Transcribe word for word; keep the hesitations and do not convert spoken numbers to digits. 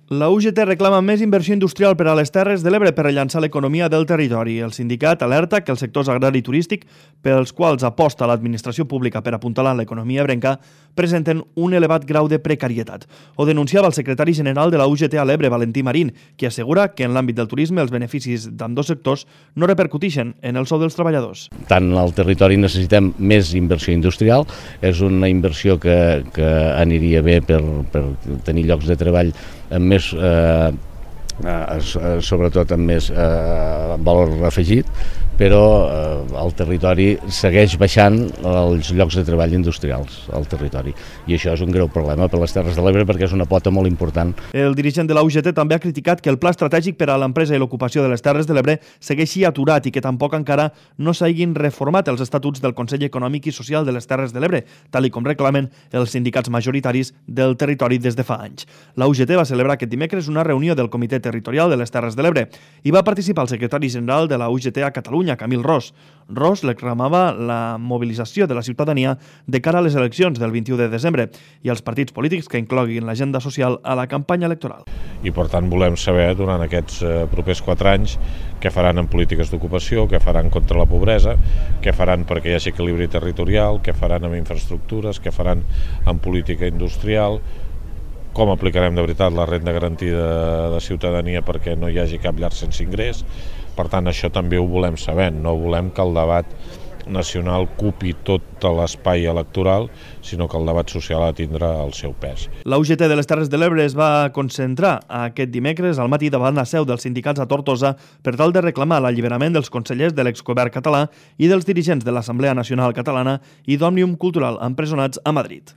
La U G T reclama més inversió industrial per a les Terres de l'Ebre per rellançar l'economia del territori. El sindicat alerta que els sectors agrari i turístic, pels quals aposta l'administració pública per apuntalar l'economia ebrenca, presenten un elevat grau de precarietat. Ho denunciava el secretari general de la U G T a l'Ebre, Valentí Marín, qui assegura que en l'àmbit del turisme els beneficis d'ambdós sectors no repercuteixen en el sou dels treballadors. Tant al territori necessitem més inversió industrial, és una inversió que, que aniria bé per, per tenir llocs de treball amb més, eh, eh, sobretot amb més eh, valor afegit, però eh, el territori segueix baixant els llocs de treball industrials al territori. I això és un greu problema per les Terres de l'Ebre perquè és una pota molt important. El dirigent de la U G T també ha criticat que el pla estratègic per a l'empresa i l'ocupació de les Terres de l'Ebre segueixi aturat i que tampoc encara no s'hagin reformat els estatuts del Consell Econòmic i Social de les Terres de l'Ebre, tal i com reclamen els sindicats majoritaris del territori des de fa anys. La U G T va celebrar aquest dimecres una reunió del Comitè Territorial de les Terres de l'Ebre i va participar el secretari general de la U G T a Catalunya, Camil Ros. Ros reclamava la mobilització de la ciutadania de cara a les eleccions del vint-i-u de desembre i els partits polítics que incloguin l'agenda social a la campanya electoral. I per tant volem saber durant aquests propers quatre anys què faran en polítiques d'ocupació, què faran contra la pobresa, què faran perquè hi hagi equilibri territorial, què faran amb infraestructures, què faran en política industrial, com aplicarem de veritat la renda garantida de ciutadania perquè no hi hagi cap llar sense ingrés. Per tant, això també ho volem saber, no volem que el debat nacional ocupi tot l'espai electoral, sinó que el debat social ha de tindre el seu pes. La U G T de les Terres de l'Ebre es va concentrar aquest dimecres al matí davant la seu dels sindicats a Tortosa per tal de reclamar l'alliberament dels consellers de l'exgovern català i dels dirigents de l'Assemblea Nacional Catalana i d'Òmnium Cultural empresonats a Madrid.